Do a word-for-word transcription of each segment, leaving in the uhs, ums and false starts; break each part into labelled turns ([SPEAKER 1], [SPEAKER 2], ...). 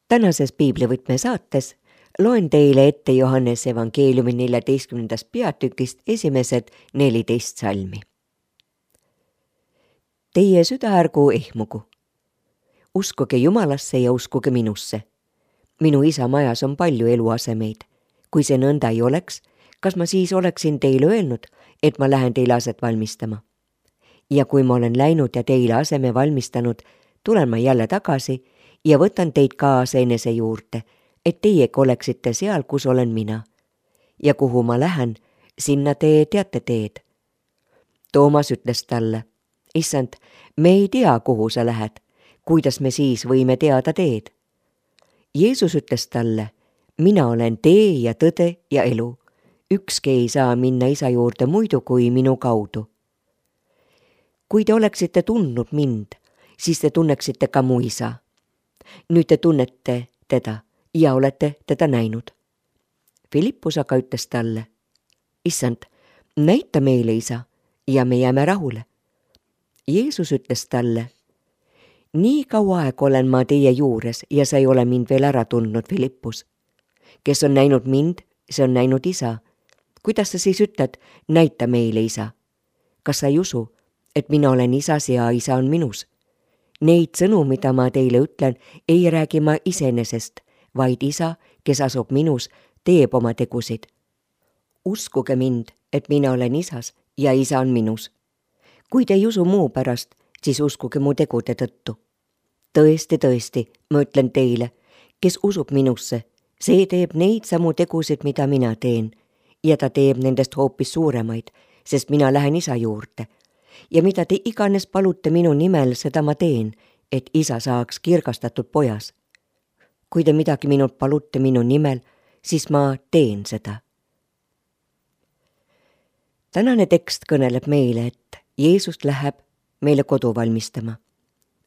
[SPEAKER 1] Tänases piiblivõtme saates loen teile ette Johannese evangeeliumi neljateistkümnendast peatükist esimesed neliteist salmi. Teie süda ärgu ehmugu. Uskuge Jumalasse ja uskuge minusse. Minu isa majas on palju eluasemeid. Kui see nõnda ei oleks, kas ma siis oleksin teile öelnud, et ma lähen teile aset valmistama? Ja kui ma olen läinud ja teile aseme valmistanud, tulen ma jälle tagasi ja võtan teid kaasa enese juurde, et teiegi oleksite seal, kus olen mina. Ja kuhu ma lähen, sinna te teate teed. Toomas ütles talle, issand, me ei tea, kuhu sa lähed, kuidas me siis võime teada teed? Jeesus ütles talle, mina olen tee ja tõde ja elu. Ükski ei saa minna isa juurde muidu kui minu kaudu. Kui te oleksite tundnud mind, siis te tunneksite ka mu isa. Nüüd te tunnete teda ja olete teda näinud. Filippus aga ütles talle, issand, näita meile isa ja me jääme rahule. Jeesus ütles talle, nii kaua aeg olen ma teie juures ja sa ei ole mind veel ära tundnud, Filippus. Kes on näinud mind, see on näinud isa. Kuidas sa siis ütled, näita meile isa? Kas sa ei usu, et mina olen isas ja isa on minus? Neid sõnu, mida ma teile ütlen, ei räägi ma iseenesest, vaid isa, kes asub minus, teeb oma tegusid. Uskuge mind, et mina olen isas ja isa on minus. Kui te ei usu muu pärast, siis uskuge mu tegude tõttu. Tõesti, tõesti, ma ütlen teile, kes usub minusse, see teeb neid samu tegusid, mida mina teen, ja ta teeb nendest hoopis suuremaid, sest mina lähen isa juurde. Ja mida te iganes palute minu nimel, seda ma teen, et isa saaks kirgastatud pojas. Kui te midagi minult palute minu nimel, siis ma teen seda. Tänane tekst kõneleb meile, et Jeesus läheb meile kodu valmistama,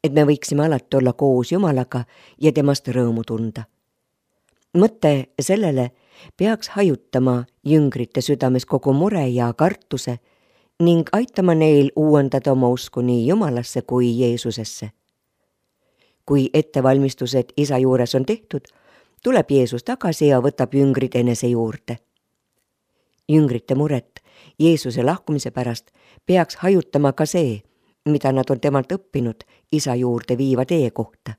[SPEAKER 1] et me võiksime alati olla koos Jumalaga ja temast rõõmu tunda. Mõte sellele peaks hajutama jüngrite südames kogu mure ja kartuse ning aitama neil uuendada oma usku nii Jumalasse kui Jeesusesse. Kui ettevalmistused isa juures on tehtud, tuleb Jeesus tagasi ja võtab jüngrid enese juurde. Jüngrite muret Jeesuse lahkumise pärast peaks hajutama ka see, mida nad on temalt õppinud isa juurde viiva tee kohta.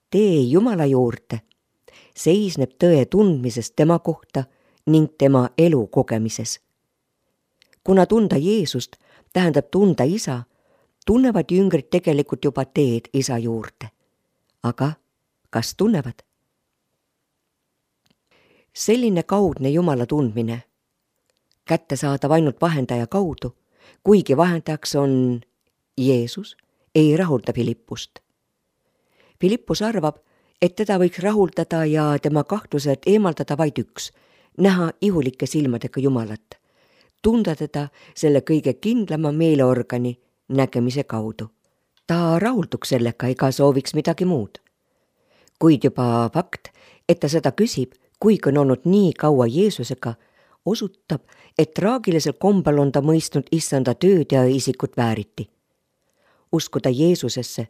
[SPEAKER 1] Tee Jumala juurde seisneb tõe tundmisest tema kohta ning tema elu kogemises. Kuna tunda Jeesust tähendab tunda isa, tunnevad jüngrid tegelikult juba teed isa juurde. Aga kas tunnevad? Selline kaudne Jumala tundmine, kätte saadav ainult vahendaja kaudu, kuigi vahendajaks on Jeesus, ei rahulda Filippust. Filippus arvab, et teda võiks rahuldada ja tema kahtlused eemaldada vaid üks, näha ihulike silmadega Jumalat, tunda teda selle kõige kindlama meeleorgani nägemise kaudu. Ta rahulduks sellega ega sooviks midagi muud. Kuid juba fakt, et ta seda küsib, kuigi on olnud nii kaua Jeesusega, osutab, et traagilisel kombel on ta mõistnud issanda tööd ja isikut vääriti. Uskuda Jeesusesse,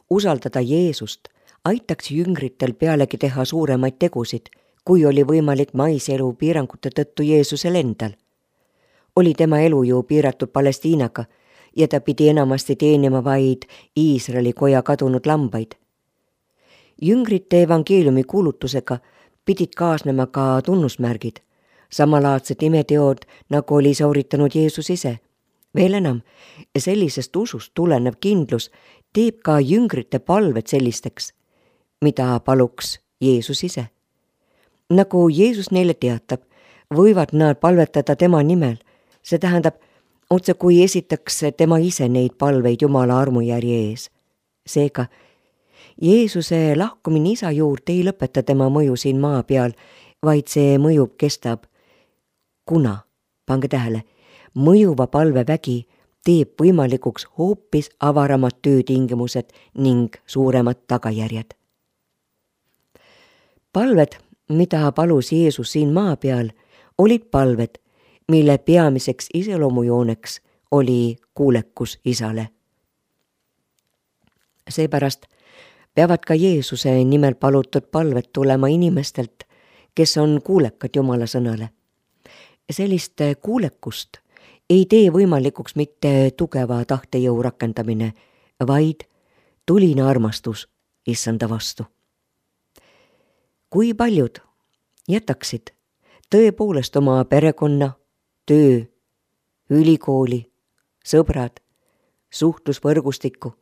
[SPEAKER 1] usaldada Jeesust, aitaks jüngritel pealegi teha suuremaid tegusid, kui oli võimalik maiselu piirangute tõttu Jeesusel endal. Oli tema elu ju piiratud Palestiinaga ja ta pidi enamasti teenima vaid Iisraeli koja kadunud lambaid. Jüngrite evangeeliumi kuulutusega pidid kaasnema ka tunnusmärgid, samalaadsed imeteod, nagu oli sooritanud Jeesus ise. Veel enam, sellisest usust tulenev kindlus teeb ka jüngrite palved sellisteks, mida paluks Jeesus ise. Nagu Jeesus neile teatab, võivad nad palvetada tema nimel. See tähendab, otse kui esitaks tema ise neid palveid Jumala armujärje ees. Seega, Jeesuse lahkumine isa juurde ei lõpeta tema mõju siin maa peal, vaid see mõju kestab. Kuna, pange tähele, mõjuva palvevägi teeb võimalikuks hoopis avaramad töötingimused ning suuremad tagajärjed. Palved, mida palus Jeesus siin maa peal, olid palved, mille peamiseks iseloomujooneks oli kuulekus isale. Seepärast peavad ka Jeesuse nimel palutud palved tulema inimestelt, kes on kuulekad Jumala sõnale. Sellist kuulekust ei tee võimalikuks mitte tugeva tahtejõu rakendamine, vaid tuline armastus issanda vastu. Kui paljud jätaksid tõepoolest oma perekonna, töö, ülikooli, sõbrad, suhtlusvõrgustiku,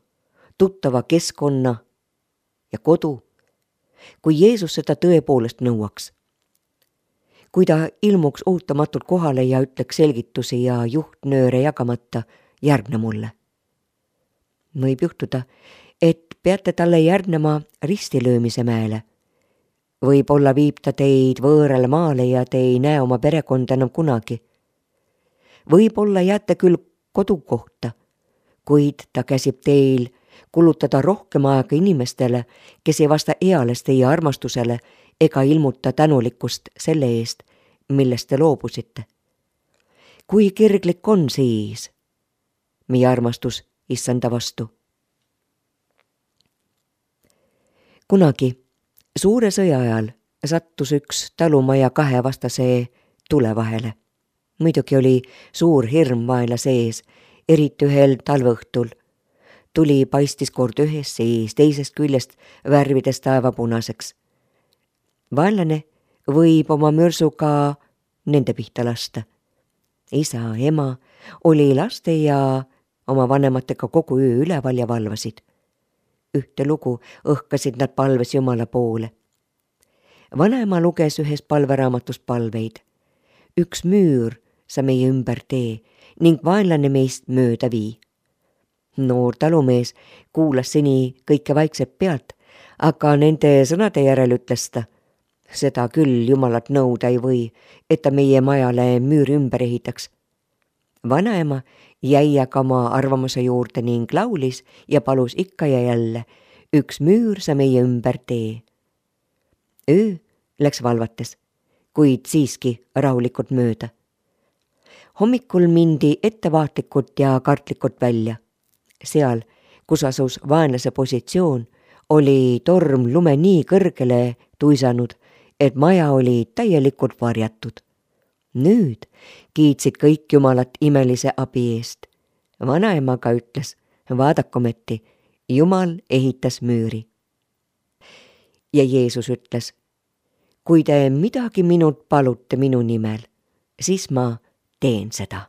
[SPEAKER 1] tuttava keskkonna ja kodu, kui Jeesus seda tõepoolest nõuaks. Kui ta ilmuks ootamatult kohale ja ütleks selgitusi ja juhtnööre jagamata, järgne mulle. Võib juhtuda, et peate talle järgnema ristilöömise mäele. Võib-olla viib ta teid võõrale maale ja te ei näe oma perekonda enam kunagi. Võib-olla jääte küll kodukohta, kuid ta käsib teil kulutada rohkem aega inimestele, kes ei vasta eales teie armastusele ega ilmuta tänulikkust selle eest, millest te loobusite. Kui kirglik on siis meie armastus issanda vastu? Kunagi suure sõja ajal sattus üks talumaja kahe vastase tule vahele. Muidugi oli suur hirm vaenla sees, eriti ühel talveõhtul. Tuli paistis kord ühest sees, teisest küljest värvides taevapunaseks. Vaenlane võib oma mürsuga nende pihta lasta. Isa, ema oli laste ja oma vanematega kogu öö üleval ja valvasid. Ühte lugu õhkasid nad palves Jumala poole. Vanaema luges ühes palveraamatust palveid. Üks müür sa meie ümber tee ning vaenlane meist mööda vii. Noor talumees kuulas seni kõike vaikselt pealt, aga nende sõnade järel ütles ta, seda küll Jumalat nõuda ei või, et ta meie majale müüri ümber ehitaks. Vanaema jäi aga oma arvamuse juurde ning laulis ja palus ikka ja jälle, üks müür sa meie ümber tee. Öö läks valvates, kuid siiski rahulikult mööda. Hommikul mindi ettevaatlikult ja kartlikult välja. Seal, kus asus vaenlase positsioon, oli torm lume nii kõrgele tuisanud, et maja oli täielikult varjatud. Nüüd kiitsid kõik Jumalat imelise abi eest. Vanaema ka ütles, vaadakometi, Jumal ehitas müüri. Ja Jeesus ütles, kui te midagi minult palute minu nimel, siis ma teen seda.